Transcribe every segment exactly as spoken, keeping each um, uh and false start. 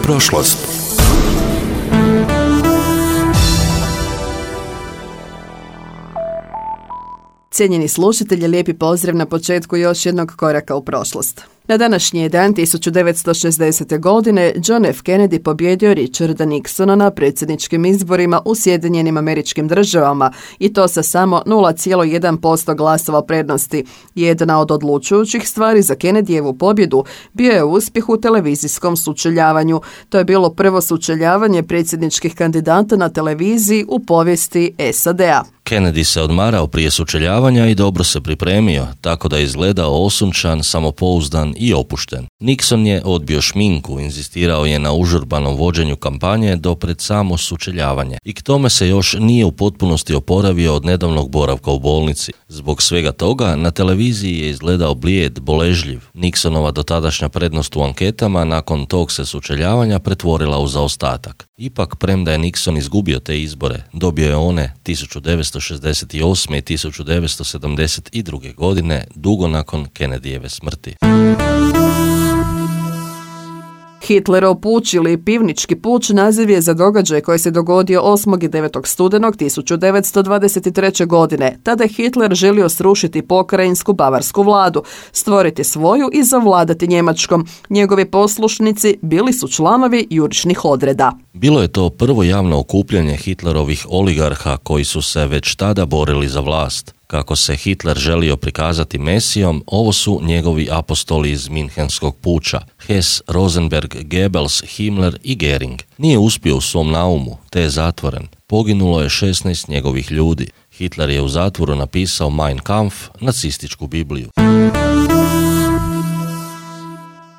prošlost. Cijenjeni slušatelji, lijepi pozdrav na početku još jednog koraka u prošlost. Na današnji dan tisuću devetsto šezdesete. godine John F. Kennedy pobjedio Richarda Nixona na predsjedničkim izborima u Sjedinjenim Američkim Državama i to sa samo nula zarez jedan posto glasova prednosti. Jedna od odlučujućih stvari za Kennedyjevu pobjedu bio je uspjeh u televizijskom sučeljavanju. To je bilo prvo sučeljavanje predsjedničkih kandidata na televiziji u povijesti S A D-a. Kennedy se odmarao prije sučeljavanja i dobro se pripremio, tako da je izgledao osunčan, samopouzdan i opušten. Nixon je odbio šminku, inzistirao je na užurbanom vođenju kampanje do pred samo sučeljavanje i k tome se još nije u potpunosti oporavio od nedavnog boravka u bolnici. Zbog svega toga na televiziji je izgledao blijed, boležljiv. Nixonova dotadašnja prednost u anketama nakon tog se sučeljavanja pretvorila u zaostatak. Ipak, premda je Nixon izgubio te izbore, dobio je one tisuću devetsto šezdeset osme. i tisuću devetsto sedamdeset druge. godine, dugo nakon Kennedyjeve smrti. Hitlerov puč ili pivnički puč naziv je za događaj koji se dogodio osmog i devetog studenog tisuću devetsto dvadeset treće. godine. Tada je Hitler želio srušiti pokrajinsku bavarsku vladu, stvoriti svoju i zavladati Njemačkom. Njegovi poslušnici bili su članovi jurišnih odreda. Bilo je to prvo javno okupljanje Hitlerovih oligarha koji su se već tada borili za vlast. Kako se Hitler želio prikazati Mesijom, ovo su njegovi apostoli iz Minhenskog puča, Hess, Rosenberg, Goebbels, Himmler i Göring. Nije uspio u svom naumu, te je zatvoren. Poginulo je šesnaest njegovih ljudi. Hitler je u zatvoru napisao Mein Kampf, nacističku Bibliju.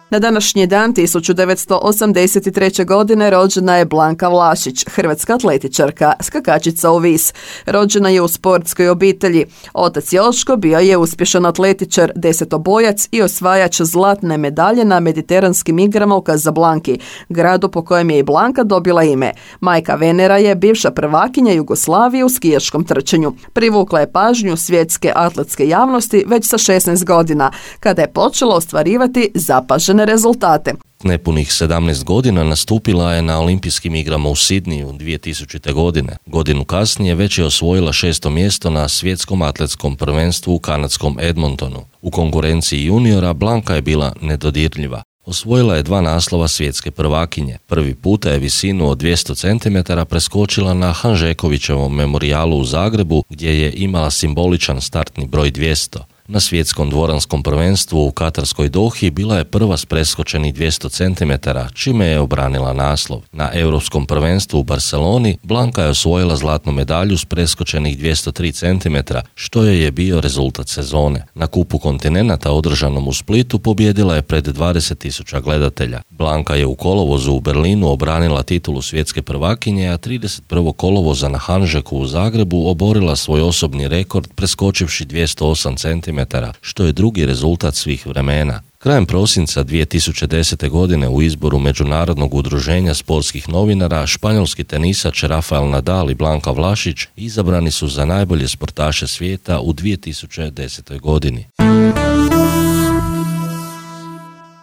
Na današnji dan tisuću devetsto osamdeset treće. godine rođena je Blanka Vlašić, hrvatska atletičarka, skakačica u vis. Rođena je u sportskoj obitelji. Otac Joško bio je uspješan atletičar, desetobojac i osvajač zlatne medalje na mediteranskim igrama u Kazablanki, gradu po kojem je i Blanka dobila ime. Majka Venera je bivša prvakinja Jugoslavije u skijaškom trčanju. Privukla je pažnju svjetske atletske javnosti već sa šesnaest godina, kada je počela ostvarivati zapažene rezultate. Nepunih sedamnaest godina nastupila je na olimpijskim igrama u Sidniju dvije tisućite. godine. Godinu kasnije već je osvojila šesto mjesto na svjetskom atletskom prvenstvu u kanadskom Edmontonu. U konkurenciji juniora Blanka je bila nedodirljiva. Osvojila je dva naslova svjetske prvakinje. Prvi puta je visinu od dvjesto centimetara preskočila na Hanžekovićevom memorijalu u Zagrebu, gdje je imala simboličan startni broj dvjesto. Na svjetskom dvoranskom prvenstvu u Katarskoj Dohi bila je prva s preskočenih dvjesto centimetara, čime je obranila naslov. Na europskom prvenstvu u Barceloni Blanka je osvojila zlatnu medalju s preskočenih dvjesto tri centimetra, što joj je bio rezultat sezone. Na kupu kontinenata održanom u Splitu pobijedila je pred dvadeset tisuća gledatelja. Blanka je u kolovozu u Berlinu obranila titulu svjetske prvakinje, a trideset prvog kolovoza na Hanžeku u Zagrebu oborila svoj osobni rekord preskočivši dvjesto osam centimetara, što je drugi rezultat svih vremena. Krajem prosinca dvije tisuće desete. godine u izboru Međunarodnog udruženja sportskih novinara španjolski tenisač Rafael Nadal i Blanka Vlašić izabrani su za najbolje sportaše svijeta u dvije tisuće desetoj. godini.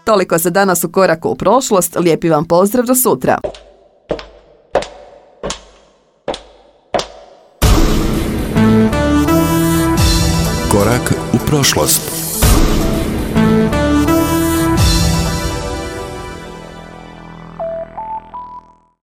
Toliko za danas u koraku u prošlost. Lijepi vam pozdrav do sutra. Korak u prošlost.